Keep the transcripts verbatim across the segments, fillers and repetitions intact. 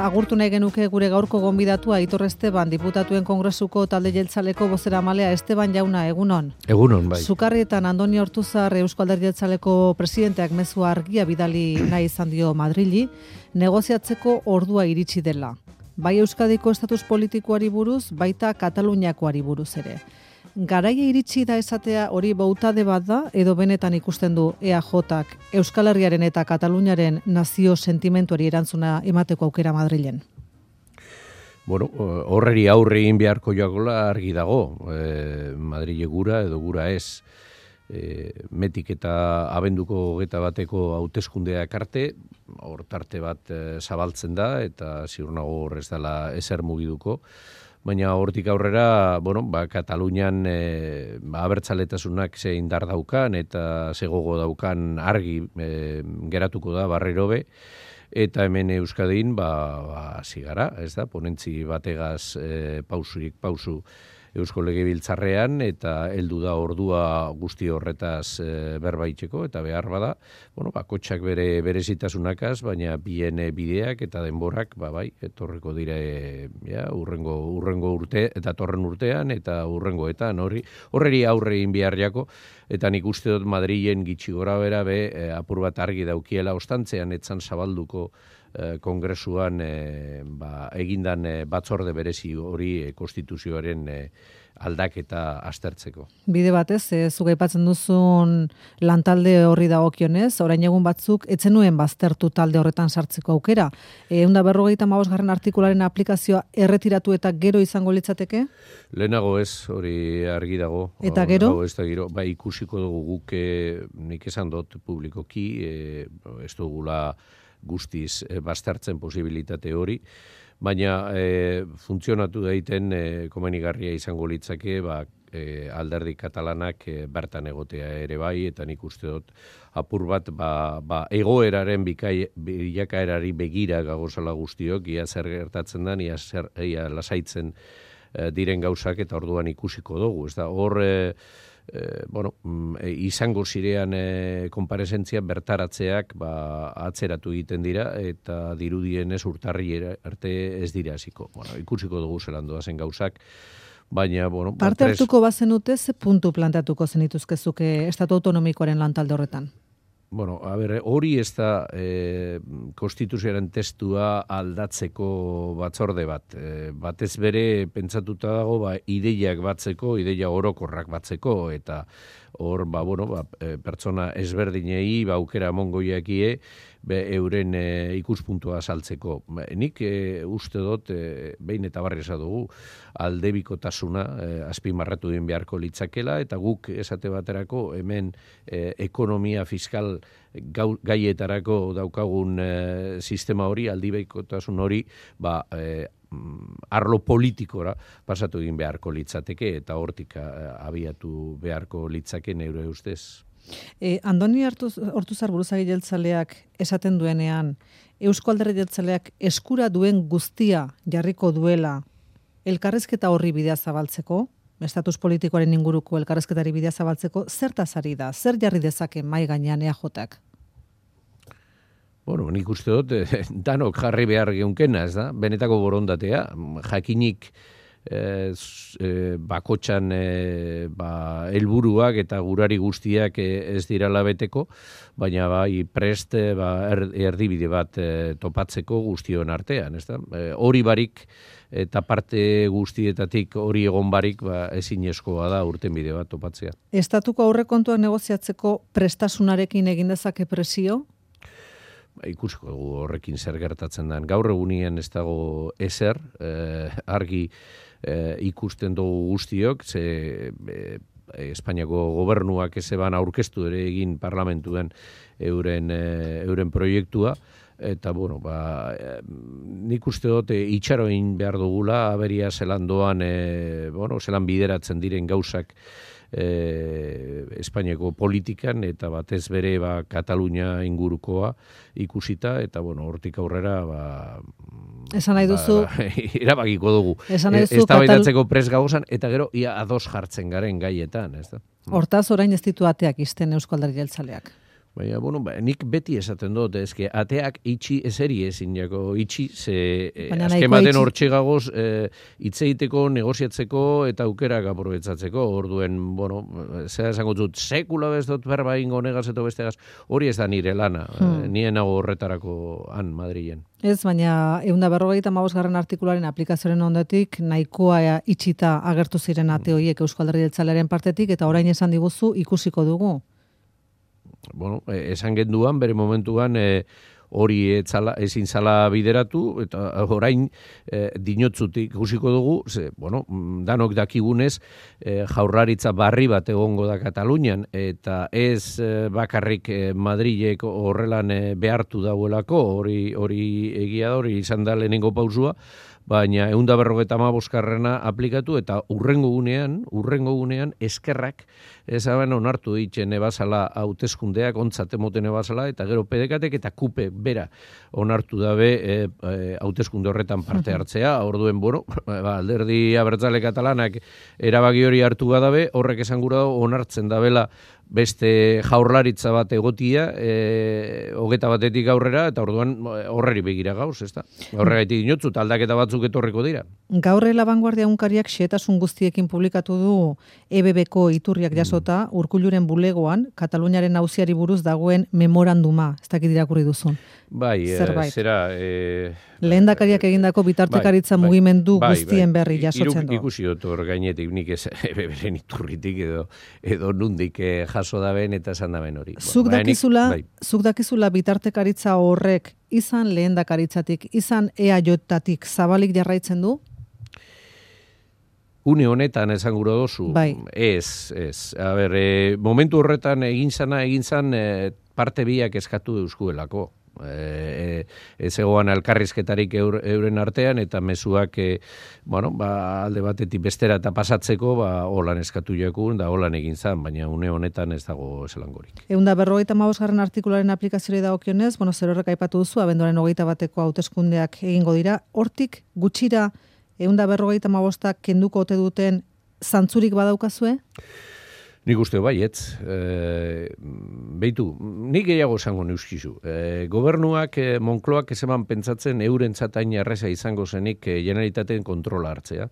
Agurtu nahi genuke gure gaurko gonbidatua Aitor Esteban, diputatuen kongresuko talde jeltzaleko bozeramalea. Esteban jauna, egunon. Egunon, bai. Sukarrietan Andoni Ortuzar Eusko Alderdi Jeltzaleko presidenteak mezua argia bidali nahi izan dio Madrili, negoziatzeko ordua iritsi dela. Bai Euskadiko estatus politikoari buruz, baita Kataluniakoari buruz ere. Garaia iritsi da esatea hori bautade bat da, edo benetan ikusten du E A Jak Euskal Herriaren eta Kataluniaren nazio sentimentuari erantzuna emateko aukera Madrilen? Bueno, horreri aurre egin beharko joakola argi dago, e, Madrile gura edo gura ez, e, metik eta abenduko hogeita bateko hauteskundeak arte, hor tarte bat e, zabaltzen da, eta ziur nago hor ez dela ezer mugiduko. Baina hortik aurrera, bueno, ba, Katalunian e, ba, abertzaletasunak ze indar daukan eta ze gogo daukan argi e, geratuko da barriro be, eta hemen Euskadin, ba, ba, zigara, ez da, ponentzi bategaz e, pausurik pausu Eusko Legebiltzarrean, eta heldu da ordua guzti horretaz e, berbaitzeko, eta behar bada, bueno, ba, kotxak bere berezitasunakaz, baina bien bideak eta denborak, ba, bai, etorreko dire, ja, urrengo, urrengo urte, eta torren urtean, eta urrengoetan, hori, horreri aurre egin behar jako, eta nik uste dut Madrilen gitxi gora bera be, e, apur bat argi daukiela ostantzean, etzan zabalduko kongresuan e, ba, egindan e, batzorde berezi hori e, konstituzioaren e, aldaketa aztertzeko. Bide batez, e, zuk aipatzen duzun lantalde horri dagokionez, orain egun batzuk etzenuen baztertu talde horretan sartzeko aukera. ehun eta berrogeita hamabosgarren artikularen aplikazioa erretiratu eta gero izango litzateke? Lehenago ez, hori argi dago. Eta gero? Ez da gero, ba, ikusiko dugu guk, e, nik esan dut publikoki, e, ez dugula guztiz e, baztertzen posibilitate hori, baina e, funtzionatu daiten e, komenigarria izango litzake ba, e, alderdi katalanak e, bertan egotea ere bai, eta nik uste dut apur bat ba, ba, egoeraren bikai, bilakaerari begira gagozala guztiok, ia zer gertatzen da, ia, zer, ia lasaitzen e, diren gauzak, eta orduan ikusiko dugu. Ez da, hor e, E, bueno, e, izango zirean e, konparesentzia bertaratzeak ba, atzeratu egiten dira, eta dirudien ez urtarri arte ez dira hasiko. Bueno, ikusiko dugu zelan doazen gauzak, baina, bueno... Parte ba, tres... hartuko bazenute, ze puntu planteatuko zenituzkezuke estatu autonomikoaren lantalde horretan? Bueno, a ber, hori ez da e, konstituzioaren testua aldatzeko batzorde bat. E, batez bere pentsatuta dago ba, ideiak batzeko, ideia orokorrak batzeko, eta hor, ba, bueno, ba, pertsona ezberdinei ba, aukera mongoiakie be, euren e, ikuspuntua saltzeko. Nik e, uste dut, e, behin eta barri esan dugu, aldebikotasuna e, azpimarratu den beharko litzakela, eta guk esate baterako hemen e, ekonomia fiskal gau, gaietarako daukagun e, sistema hori, aldebikotasun hori, ba, e, arlo politikora pasatu egin beharko litzateke, eta hortik abiatu beharko litzake neure ustez. E, Andoni Ortuzar buruzagi jeltzaleak esaten duenean, Eusko Alderdi Jeltzaleak eskura duen guztia jarriko duela elkarrizketa horri bidea zabaltzeko, estatus politikoaren inguruko elkarrizketari bidea zabaltzeko, zertaz ari da, zer jarri dezake mai gainean E A Jak? Bueno, nik uste dut, eh, danok jarri behar geunkena, ez da? Benetako borondatea, jakinik eh, eh, bakotxan eh, ba, helburuak eta gurari guztiak eh, ez dira labeteko, baina bai prest eh, ba, er, erdibide bat eh, topatzeko guztion artean, ez da? Eh, hori barik eta parte guztietatik hori egon barik ba, ezinezkoa da urtenbide bat topatzea. Estatuko aurrekontuak negoziatzeko prestasunarekin egin dezake presio? Ikusiko dugu horrekin zer gertatzen den. Gaur egunien ez dago ezer, eh, argi eh, ikusten dugu guztiok, ze eh, Espainiako gobernuak ezeban aurkeztu ere egin parlamentuen euren, eh, euren proiektua, eta, bueno, ba, eh, nik uste dut eh, itxaroin behar dugula, aberia zelan doan, eh, bueno, zelan bideratzen diren gauzak E, Espainiako politikan, eta batez bere ba, Katalunia ingurukoa ikusita, eta bueno, hortik aurrera ba, esan nahi duzu ba, erabakiko dugu. Esan nahi duzu eztabaidatzeko pres gauzan, eta gero ia ados jartzen garen gaietan, ez da? Hortaz orain ez ditu ateak izten Eusko Alderdi Jeltzaleak. baina, bueno, ba, nik beti esaten dut, ezke, ateak itxi ezeri ezin jako, itxi, ze azkematen hortxe gagoz, hitz egiteko, negoziatzeko eta aukerak aprobetzatzeko, orduen, bueno, zera esango dut, sekula bez dut berba ingo negaz eta bestegaz, hori ez da nire lana, hmm. nien nago horretarako han Madrilen. Ez, baina ehun eta berrogeita hamabosgarren artikularen aplikazioaren ondotik nahikoa itxita agertu ziren ate horiek Eusko Alderdi Jeltzalearen partetik eta orain esan diguzu ikusiko dugu. Bueno, esan genduan, bere momentuan e, hori etzala, ezin zala bideratu, eta orain e, dinotzutik ikusiko dugu, ze, bueno, danok dakigunez, e, jaurlaritza barri bat egongo da Katalunian, eta ez e, bakarrik e, Madrilek horrelan e, behartu dauelako, hori hori egia da, hori izan da lehenengo pausua, baina ehun eta berrogeita hamabosgarrena aplikatu eta urrengo gunean, urrengo gunean eskerrak ezaben onartu ditzen ebazala hauteskundeak ontzat emoten ebazala eta gero P D K-tek eta kupe bera onartu dabe hauteskunde e, e, horretan parte hartzea. Orduen, bueno, ba, alderdi abertzale katalanak erabaki hori hartu badabe, horrek esan gura onartzen dabela beste jaurlaritza bat egotia, e, hogeta batetik aurrera, eta orduan horreri begira gauz, ez da? Horregaitik dinotzu, aldaketa batzuk etorreko dira. Gaur La Vanguardia unkariak xehetasun guztiekin publikatu du E B B-ko iturriak jasota, mm. Urkulluren bulegoan, Kataluniaren auziari buruz dagoen memoranduma, ez dakit irakurri duzun. Bai, e, zera... E, Lehendakariak egindako bitartekaritza bai, mugimendu bai, guztien berri bai, jasotzen du. Ikusi dut hor gainetik, nik ez beren iturritik edo, edo nundik jaso daben eta esan daben hori. Zuk dakizula, bai. zuk dakizula bitartekaritza horrek izan lehendakaritzatik, izan E A J-tatik zabalik jarraitzen du? Une honetan esan gura dozu, bai. ez, ez. A ber, e, momentu horretan egin zana, egin zan e, parte biak eskatu euskuelako. E, ez egoan elkarrizketarik eur, euren artean eta mezuak e, bueno, ba, alde batetik bestera eta pasatzeko ba, holan eskatu jakun da holan egin zan, baina une honetan ez dago eselangorik. Ehun eta berrogeita hamabosgarren artikularen aplikazioari dagokionez, bueno, zer horrek aipatu duzu, abenduaren hogeita bateko hauteskundeak egingo dira, hortik gutxira ehun eta berrogeita hamabostak kenduko ote duten zantzurik badaukazue? Nik uste baietz, e, beitu, nik gehiago esango neuskizu. E, gobernuak, e, Monkloak ezeman pentsatzen euren zatain erreza izango zenik e, generalitateen kontrola hartzea.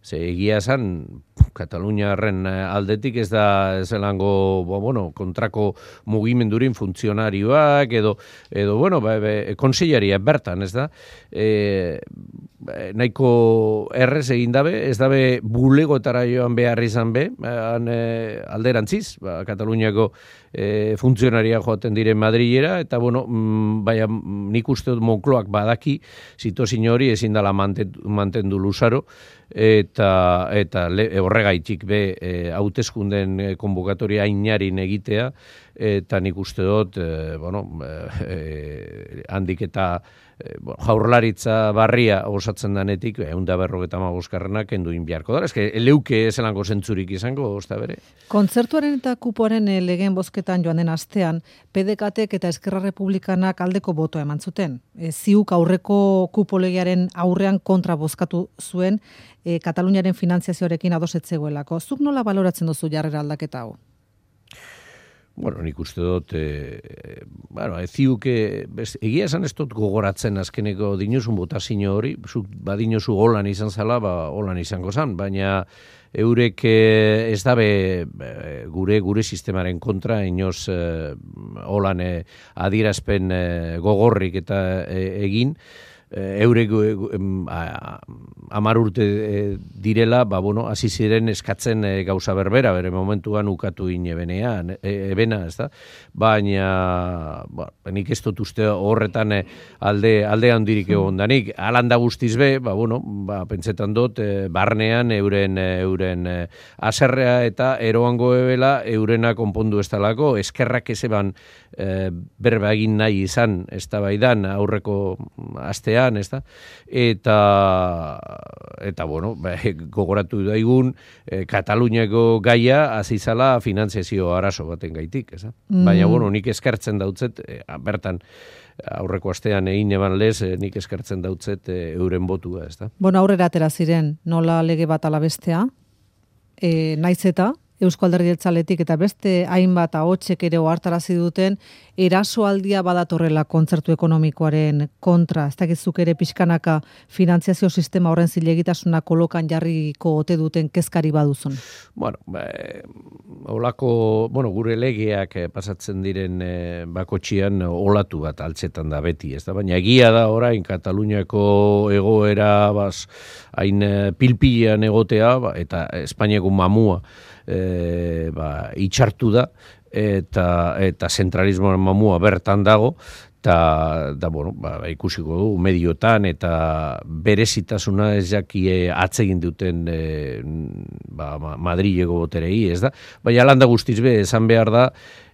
Ze egia esan, Kataluniarren aldetik ez da zelango, bueno, kontrako mugimendurin funtzionarioak, edo, edo bueno, ba, be, konsellaria bertan, ez da? E, nahiko errez egin dabe, ez dabe bulegotara joan behar izan be, han, e, alderantziz, ba, Kataluniako e, funtzionaria joaten diren Madrilera, eta bueno, mm, baina nik uste dut Monkloak badaki, zitozin hori ezin dela mantendu, mantendu luzaro, eta eta le, horregaitik be e, hauteskunden e, konbokatoria inarin egitea eta nik uste dut e, bueno, e, handik eta e, jaurlaritza barria osatzen danetik ehun eta berrogeita hamabosgarrena kenduin beharko da. Eske leuke ezelango zentzurik izango, ozta bere. Kontzertuaren eta kupoaren e, legeen bozketan joan den astean, P D K-tek eta Eskerra Republikanak aldeko botoa eman zuten. E, ziuk aurreko kupo legearen aurrean kontra bozkatu zuen, E, Kataluniaren finantziazioarekin adosetzegoelako. Zuk nola baloratzen duzu jarrera aldaketa hau? Bueno, nik uste dut, e, bueno, eziuke, egia esan ez dut gogoratzen azkeneko dinozun botazio hori, zuk badinozu holan izan zala, ba, holan izango zan, baina eurek e, ez dabe e, gure gure sistemaren kontra, inoz e, holan e, adierazpen e, gogorrik eta e, egin, eurek hamar urte direla, ba, bueno, hasi ziren eskatzen e, gauza berbera, bere momentuan ukatu inebenean, e, ebena, ez da? Baina, ba, nik ez dut uste horretan e, alde, alde handirik egon danik. Alanda guztiz be, ba, bueno, ba, pentsetan dut, e, barnean euren, euren e, aserrea eta eroango ebela eurena konpondu ez talako, eskerrak ezeban e, berba egin nahi izan, ez da baidan, aurreko astean, ez da? Eta, eta bueno, gogoratu daigun, eh, Kataluniako gaia azizala finantziazio arazo baten gaitik, ez da? Mm. Baina, bueno, nik eskertzen dautzet, eh, bertan, aurreko astean egin eban lez, eh, nik eskertzen dautzet eh, euren botua, ez da? Bueno, aurrera atera ziren, nola lege bat ala bestea, eh, naiz eta, Eusko Alderdi Jeltzaletik eta beste hainbat ahotsek ere ohartarazi duten erasoaldia badatorrela kontzertu ekonomikoaren kontra. Ez dakizuk ere pixkanaka finantziazio sistema horren zilegitasuna kolokan jarriko ote duten kezkari baduzun. Bueno, ba, olako, bueno, gure legeak pasatzen diren e, bakotxian olatu bat altzetan da beti, ez da? Baina egia da orain Kataluniako egoera bas, hain pilpilean egotea, ba, eta Espainiako mamua e, ba, itxartu da, eta eta zentralismoaren mamua bertan dago, eta da, bueno, ba, ikusiko du mediotan eta berezitasuna ez jakie atzegin duten e, ba, Madrileko boterei, ez da? Baina landa guztiz be, esan behar da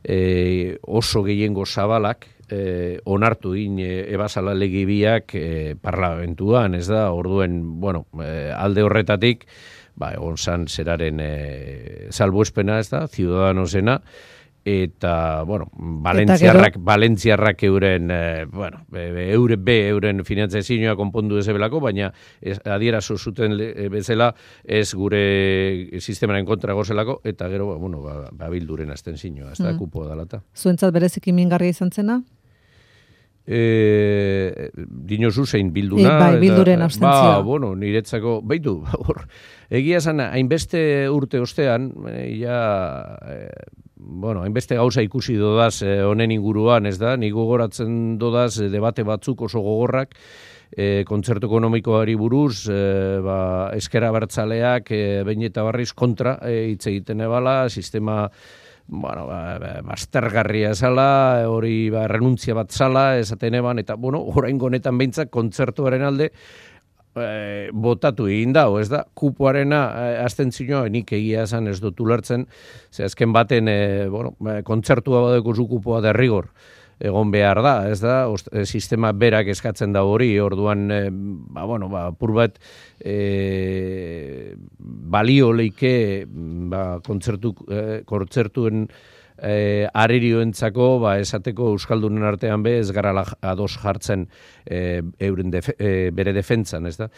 e, oso gehiengo zabalak e, onartu in e, ebasala legibiak e, parlamentuan, ez da? Orduen, bueno, e, alde horretatik, ba, egon zan zeraren e, salbuespena, ez da? Ciudadanosena, eta, bueno, Valentziarrak, Valentziarrak euren, eh, bueno, eure be, euren finantzazioa konpondu ezebelako, baina ez, adierazo zuten bezala ez gure sistemaren kontra gozelako, eta gero, bueno, ba, ba bilduren astentzioa, ez da, mm. kupoa dalata. Zuentzat bereziki mingarria izan zena? E, dinozu zein bilduna. E, bai, bilduren abstentzioa. Ba, bueno, niretzako, baitu, hor, egia zana, hainbeste urte ostean, ja, e, bueno, hainbeste gauza ikusi dodaz honen inguruan, ez da, nik gogoratzen dodaz debate batzuk oso gogorrak, e, kontzertu ekonomikoari buruz, e, ba, ezker abertzaleak e, behin eta barriz kontra e, hitz egiten ebala, sistema bueno, ba, baztergarria zala, hori ba, renuntzia bat zala, esaten eban, eta, bueno, oraingo honetan behintzak kontzertuaren alde e, botatu egin dago, ez da? Kupoarena e, astentzioa nik egia esan ez dut ulertzen, ze azken baten, e, bueno, kontzertua badeko zu kupoa derrigor egon behar da, ez da? Ost, e, sistema berak eskatzen da hori, orduan, e, ba, bueno, ba, pur bat, e, balio leike, ba, kontzertu, e, kontzertuen e, aririoentzako, ba, esateko Euskaldunen artean be, ez gara ados jartzen e, euren defe, e, bere defentzan, ez da?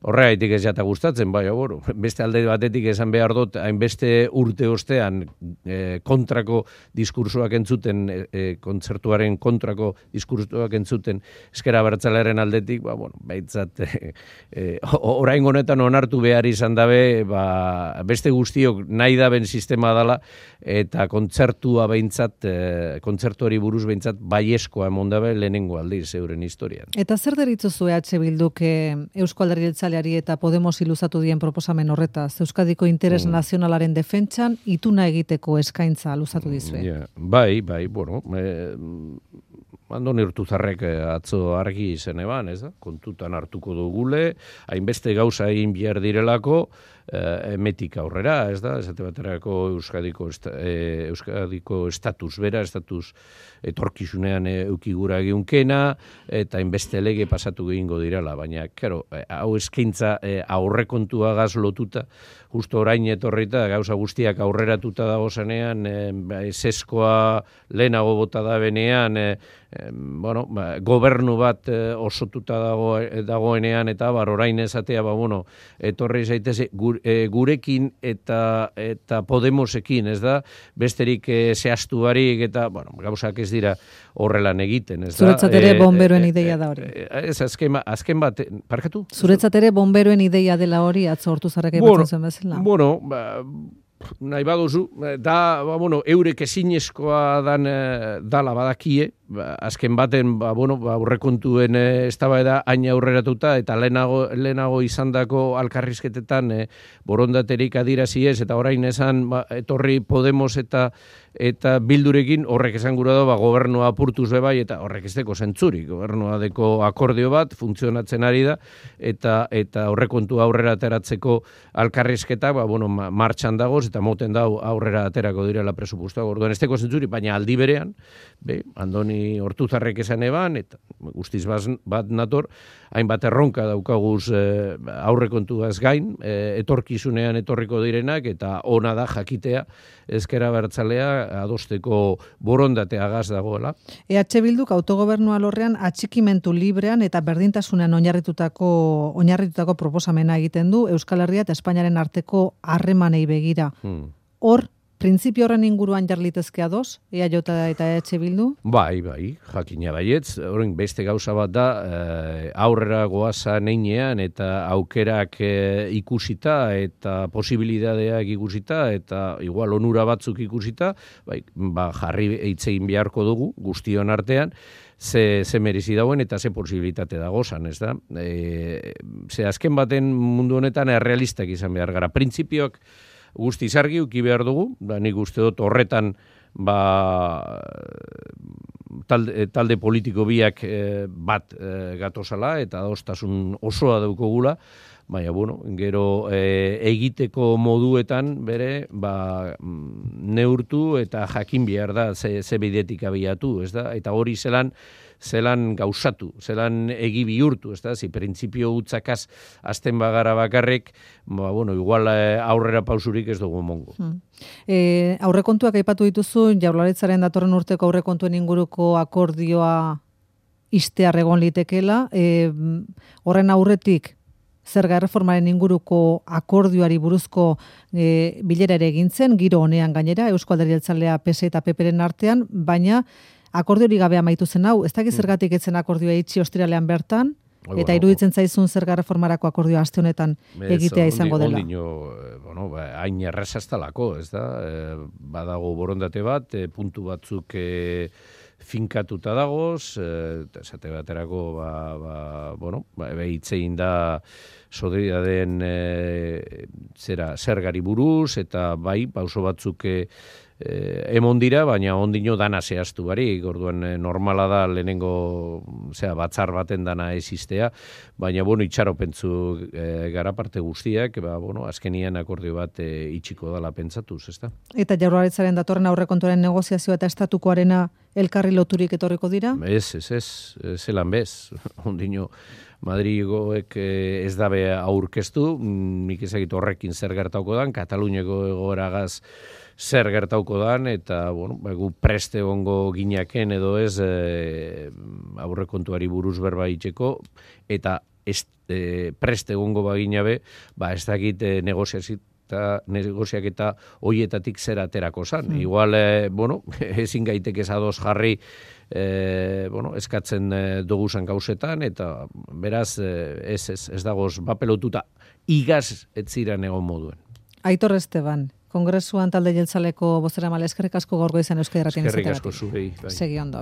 Horregaitik ez jata gustatzen, bai, bueno, beste alde batetik esan behar dut, hainbeste urte ostean e, kontrako diskursoak entzuten, e, kontzertuaren kontrako diskursoak entzuten ezkera abertzalearen aldetik, ba, bueno, baitzat, e, e, orain honetan onartu behar izan dabe, ba, beste guztiok nahi daben sistema dala, eta kontzertua behintzat, e, kontzertuari buruz behintzat baieskoa emondabe lehenengo aldiz euren historian. Eta zer deritzozu E H Bilduk Eusko Alderdi Jeltzaleari eta Podemos iluzatu dien proposamen horretaz? Euskadiko interes mm. nazionalaren defentsan ituna egiteko eskaintza luzatu dizue. Yeah. Bai, bai, bueno, e, Andoni Urtuzarrek atzo argi izen eban, ez da? Kontutan hartuko dugule, hainbeste gauza egin behar direlako, eh, emetik aurrera, ez da? Esate baterako Euskadiko, esta, eh, Euskadiko estatus bera, estatus etorkizunean eukigura egiunkena, eta hainbeste lege pasatu egingo direla, baina, kero, hau eskaintza eh, aurrekontua gaz lotuta, justo orain etorrita, gauza guztiak aurreratuta dago zenean, eh, eseskoa lehenago bota da benean, eh, eh, bueno, ba, gobernu bat eh, osotuta dago, dagoenean, eta bar orain esatea, ba, bueno, etorri zaitez gur, eh, gurekin eta eta Podemosekin, ez da, besterik eh, zehaztu barik, eta, bueno, gauzak ez dira horrelan egiten, ez da. Zuretzat ere bomberoen ideia da hori. Ez, azken, azken bat, parkatu? Zuretzat ere bomberoen ideia dela hori, atzo Hortuzarrek aipatzen zuen bezala. Bueno, ba, nahi baduzu, da, ba, bueno, eurek ezinezkoa dan, dala badakie, ba, azken baten, ba, bueno, ba, aurrekontuen e, eztabaida hain aurreratuta, eta lehenago, lehenago izandako alkarrizketetan e, borondaterik adirazi ez, eta orain esan, ba, etorri Podemos eta eta bildurekin horrek esan gura da, ba, gobernua apurtuz bebai, eta horrek ez deko zentzurik, gobernua deko akordio bat, funtzionatzen ari da, eta eta aurrekontu aurrera ateratzeko alkarrizketa, ba, bueno, martxan dagoz, eta moten dau aurrera aterako direla presupustoa, orduan ez deko zentzurik, baina aldi berean, be, Andoni Hortuzarrek esan eban, eta guztiz bat nator, hainbat erronka daukaguz e, aurrekontuaz gain, e, etorkizunean etorriko direnak, eta ona da jakitea, ezkera bertzalea adosteko borondatea gaz dagoela. E H Bilduk autogobernua lorrean atxikimentu librean eta berdintasunean oinarritutako oinarritutako proposamena egiten du Euskal Herria eta Espainiaren arteko harremanei begira. Hmm. Hor, printzipio horren inguruan jarlitezke ados, E A J eta E H Bildu? Bai, bai, jakina baietz. Horren beste gauza bat da, e, aurrera goaza neinean eta aukerak e, ikusita eta posibilidadeak ikusita eta igual onura batzuk ikusita, bai, ba, jarri eitzein beharko dugu guztion artean, ze, ze merezi dauen eta ze posibilitate dagozan, ez da? E, ze azken baten mundu honetan errealistak izan behar gara. Printzipioak guztiz argi uki behar dugu, da nik uste dut horretan ba, talde, talde politiko biak e, bat e, gatozala eta adostasun osoa daukogula, baina, bueno, gero e, egiteko moduetan bere ba, neurtu eta jakin behar da ze, ze bidetik abiatu, ez da? Eta hori zelan zelan gauzatu, zelan egi bihurtu, ez da? Zi printzipio utzakaz azten bagara bakarrik, ba, bueno, igual aurrera pausurik ez dugu mongo. Hmm. E, aurrekontuak aipatu dituzu, Jaurlaritzaren datorren urteko aurrekontuen inguruko akordioa ixtear egon litekela, e, horren aurretik zerga erreformaren inguruko akordioari buruzko e, bilera ere egin zen, giro honean gainera, Euzko Alderdi Jeltzalea P S eta P Pren artean, baina akordiori gabe amaitu zen hau, ez dakit zergatik etzen akordioa itxi ostiralean bertan, eta iruditzen zaizun zerga reformarako akordioa aste honetan egitea izango dela. Ondino, bueno, hain erraza ez talako, ez da? Badago borondate bat, puntu batzuk finkatuta dagoz, esate baterako, ba, ba, bueno, behitzein da soderidaden zera zergari buruz, eta bai, pauso batzuk Eh, emon dira, baina ondino dana zehaztu barik, orduan eh, normala da lehenengo zera, batzar baten dana existea, baina bueno, itxaropentzu eh, gara parte guztiak, ba, bueno, azkenian akordio bat eh, itxiko dala pentsatuz, ezta? Eta Jaurlaritzaren datorren aurrekontuaren negoziazioa eta estatukoarena elkarri loturik etorriko dira? Ez, ez, ez, zelan bez, ondino Madrigoek eh, ez dabe aurkeztu, nik ezagit horrekin zer gertauko dan, Kataluniako egoeragaz zer gertauko dan, eta bueno, gu preste egongo ginaken edo ez e, aurrekontuari buruz berba itxeko, eta ez, e, preste egongo baginabe, ba ez dakit e, negoziazita negoziak eta hoietatik zer aterako zan. Hmm. Igual, e, bueno, ezin gaitek ez ados jarri e, bueno, eskatzen e, doguzan gauzetan, eta beraz, e, ez, ez, ez dagoz bapelotuta igaz ez ziren egon moduen. Aitor Esteban, Kongresuan talde jeltzaleko bozeramale, eskerrik asko gaur goizan Euskadi Irratian izateagatik. Eskerrik asko zurei. Bai. Segi ondo.